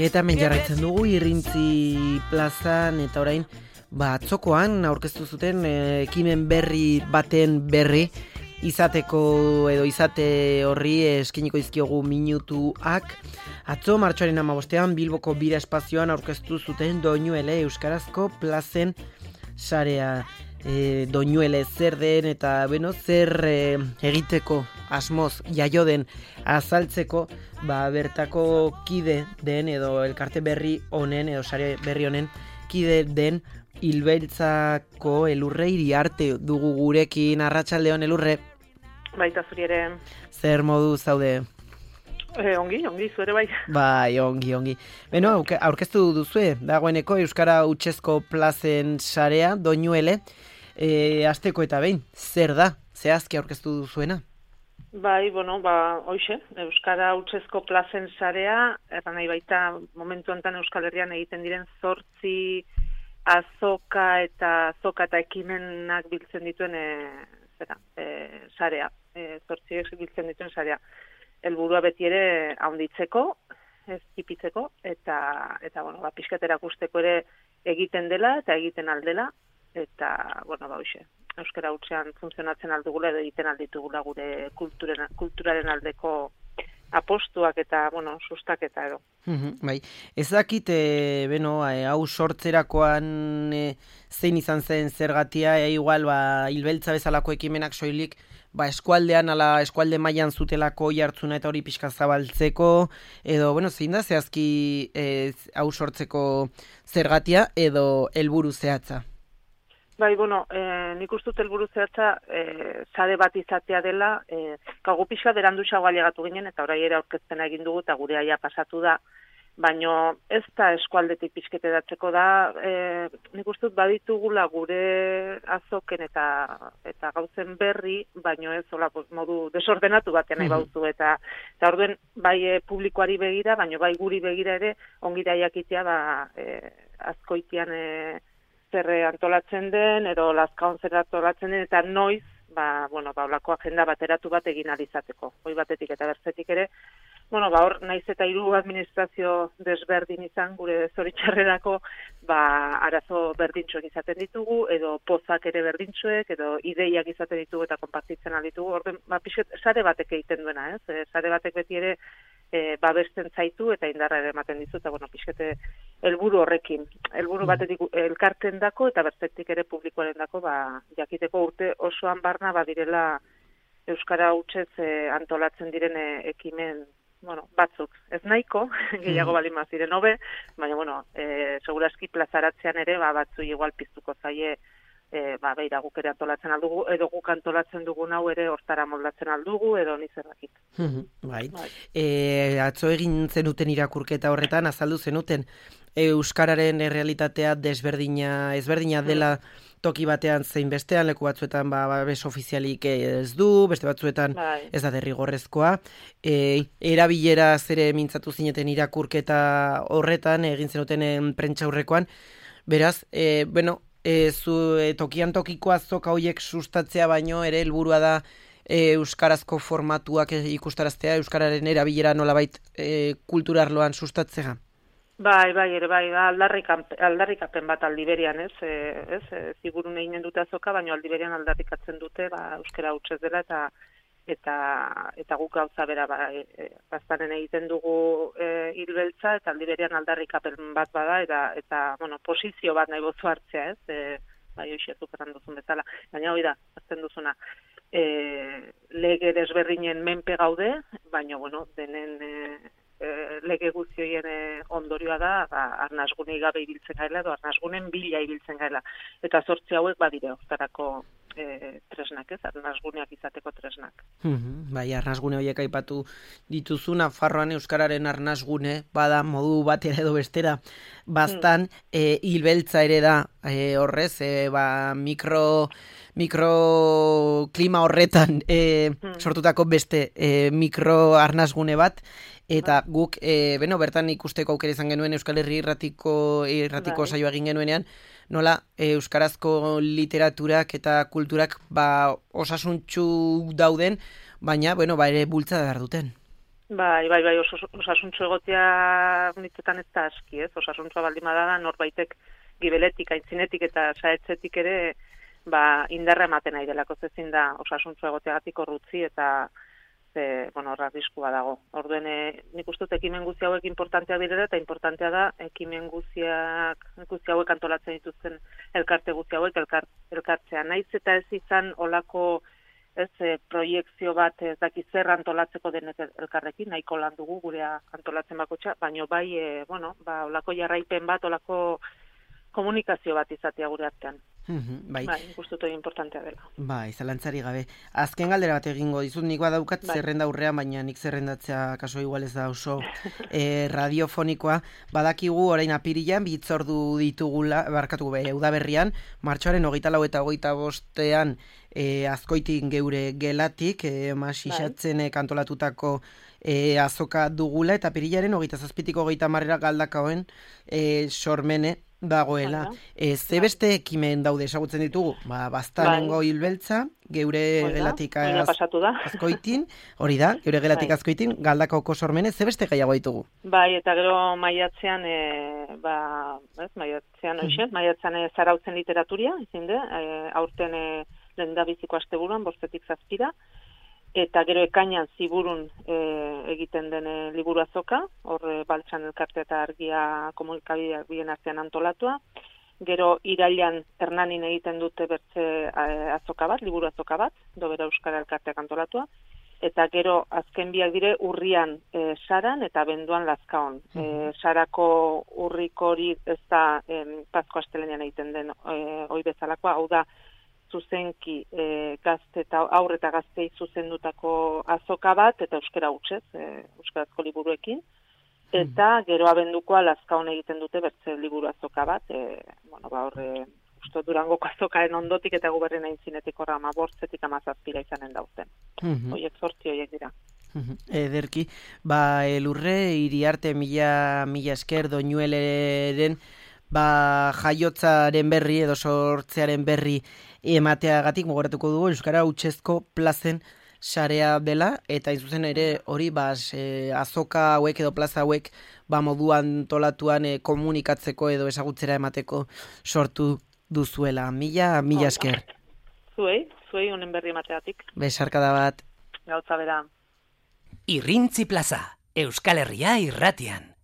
Eta hemen jarraitzen dugu Irrintzi plazan eta orain atzokoan aurkeztu zuten ekimen berri baten berri izateko edo izate horri eskiniko dizkiogu minutuak. Atzo martxoaren 15ean Bilboko bira espazioan aurkeztu zuten Doinuele euskarazko plazen sarea. Doinuele zer den eta zer egiteko asmoz jaio den azaltzeko bertako kide den edo elkarte berri honen edo sare berri honen kide den Ilbeltzako Elurre Iriarte dugu gurekin. Arratsaldeon Elurre. Baita zuri ere. Zer modu zaude? Ongi, zuere bai. Bai, ongi. Beno, aurkeztu duzue, dagoeneko Euskara Hutsezko plazen sarea, Doinuele, asteko eta behin, zer da, zehazki aurkeztu duzuena? Bai, hoxe, Euskara Hutsezko plazen sarea, erran nahi baita momentu honetan Euskal Herrian egiten diren 8 azoka eta ekimenak biltzen dituen sarea, 8 biltzen dituen sarea. Helburua beti ere handitzeko, ez tipitzeko, eta pixkatera ikusteko ere egiten dela eta egiten aldela, eta, hoxe, Euskara Hutsean funtzionatzen aldugula edo egiten alditugula gure kulturaren aldeko apostuak eta, sustaketa edo. Bai, ez dakit, hau sortzerakoan zein izan zen zergatia, igual, Ilbeltza bezalako ekimenak soilik, eskualdean ala eskualde mailan zutelako jartzuna eta hori pixka zabaltzeko, edo, zein da zehazki hau sortzeko zergatia edo helburu zehatza? Bai, nik uste dut helburu zehatza sare bat izatea dela, gu pixka beranduxago ailegatu ginen eta orai ere aurkezpena egin dugu eta gure aia pasatu da, baina ez da eskualdetik pixketeratzeko da, nik uste dut baditugula gure azoken eta gauzen berri, baina ez modu desordenatu batean nahi bauzu, eta orduen bai publikoari begira, baina bai guri begira ere ongira jakitea azkoitian zer antolatzen den, edo lazkaon zer antolatzen den, eta noiz, olako agenda bateratu bat egin alizateko. Hoi batetik eta bertzetik ere, hor, naiz eta 3 administrazio desberdin izan, gure zoritxarrerako, arazo berdintxoek izaten ditugu, edo pozak ere berdintxoek, edo ideiak izaten ditugu eta konpartitzen alditugu. Orden, pixet, sare batek egiten duena, ez? Sare batek beti ere babesten zaitu eta indarra ere ematen dizu, eta pixete helburu horrekin. Helburu batetik elkarten dako eta bertzetik ere publikoaren dako, jakiteko urte osoan barna badirela Euskara Hutsez antolatzen diren ekimen batzuk. Ez nahiko, gehiago balin maziren hobe, baina, seguraski plazaratzean ere, batzu igual piztuko zaie, beira guk ere antolatzen aldugu, edo guk antolatzen dugun hau ere hortara moldatzen aldugu, edo nizerrakit. Bai. Atzo egin zenuten irakurketa horretan, azaldu zenuten, Euskararen errealitatea ezberdina dela toki batean zein bestean, leku batzuetan babes ofizialik ez du, beste batzuetan ez da derrigorrezkoa. Erabilera zere mintzatu zineten irakurketa horretan, egin zenuten prentsaurrekoan, beraz, tokian tokiko azoka horiek sustatzea baino ere helburua da euskarazko formatuak ikustaraztea, euskararen erabilera nolabait kulturarloan sustatzea. Bai, aldarrikapen bat aldiberian, ez? Zigurun eginen dute azoka, baina aldiberian aldarrikatzen dute, Euskara Hutsez dela eta guk gauza bera baztanen egiten dugu Ilbeltza, eta aldiberian aldarrikapen bat bada, eta posizio bat nahi bozu hartzea, ez? Hoxe zukeran duzun bezala. Baina hori da, azten duzuna. Lege desberdinen menpe gaude, baina, denen lege guztioien ondorioa da, arnasgunei gabe ibiltzen gaela, edo arnasgunen bila ibiltzen gaela. Eta 8 hauek badire, hortarako tresnak, ez? Arnasguneak izateko tresnak. Bai, arnasgune horiek aipatu dituzu, Nafarroan euskararen arnasgune, bada modu batera edo bestera, bastan, Ilbeltza ere da, horrez, mikroklima horretan sortutako beste mikro arnasgune bat, eta guk, bertan ikusteko aukera izan genuen Euskal Herri irratiko saioa egin genuenean, nola euskarazko literaturak eta kulturak osasuntsu dauden, baina ere bultzada behar duten. Bai, osasuntxo egotea nitzetan ez da aski, ez? Osasuntxoa baldin badada norbaitek gibeletik, aintzinetik eta saetzetik ere indarra ematen nahi delako ezin da osasuntxo egoteagatik orrutzi eta horra arriskua dago. Orduen, nik uste dut ekimen guzti hauek importanteak direla eta importantea da ekimen guzti hauek antolatzen dituzten elkarte guzti hauek elkartzea. Naiz eta ez izan olako proiekzio bat ez dakiz zer antolatzeko denek elkarrekin, nahiko lan dugu gurea antolatzen bakotxa, baino bai, olako jarraipen bat, olako komunikazio bat izatea gure artean. Bai, ikustu dut importantea dela. Bai, zalantzari gabe. Azken galdera bat egingo dizut, nik badaukat zerrenda aurrean, baina nik zerrendatzea kaso igual ez da oso radiofonikoa. Badakigu orain apirilan, bitzordu ditugula, udaberrian, martxoaren 24 eta 25ean Azkoitin geure gelatik, masisatzen kantolatutako azoka dugula, eta apirilaren 27-ko 30 galdakaoen sormene dagoela. Ze beste ekimen daude esagutzen ditugu? Baztanengo hilbeltza, geure gelatik Azkoitin, hori da, geure gelatik Azkoitin, galdakaoko sormene, ze beste gehiago ditugu? Bai, eta gero maiatzean zarautzen literaturia, izin de, aurten lehendabiziko asteburuan, 5-7, eta gero ekainan ziburun egiten den liburu azoka, hor Baltsan elkarte eta Argia komunikabideak bien artean antolatua. Gero irailan Hernanin egiten dute bertze azoka bat, liburu azoka bat, Dobera Euskara elkarteak antolatua. Eta gero azken biak dire urrian Saran eta Benduan Lazkaon. Sarako urriko hori ez da Pasko astelenean egiten den hoi bezalakoa, hau da, zuzenki gazte eta aurre eta gaztei zuzendutako azoka bat, eta euskara hutsez, euskarazko liburuekin, eta gero abendukoa Lazkaon egiten dute bertze liburu azoka bat, uste Durangoko azokaren ondotik eta guberrien aintzinetik horra 15-etik 17 izanen dauten. Hoiek 8 horiek dira. Ederki, elurre, Iriarte mila esker Doñueleren jaiotzaren berri edo sortzearen berri emateagatik mugoratuko dugu Euskara Hutsezko plazen sarea dela, eta izuzen ere hori azoka hauek edo plaza hauek moduan tolatuan komunikatzeko edo ezagutzera emateko sortu duzuela. Mila esker. Zuei honen berri emateagatik. Besarkada bat. Gauza bera. Irrintzi plaza, Euskal Herria irratian.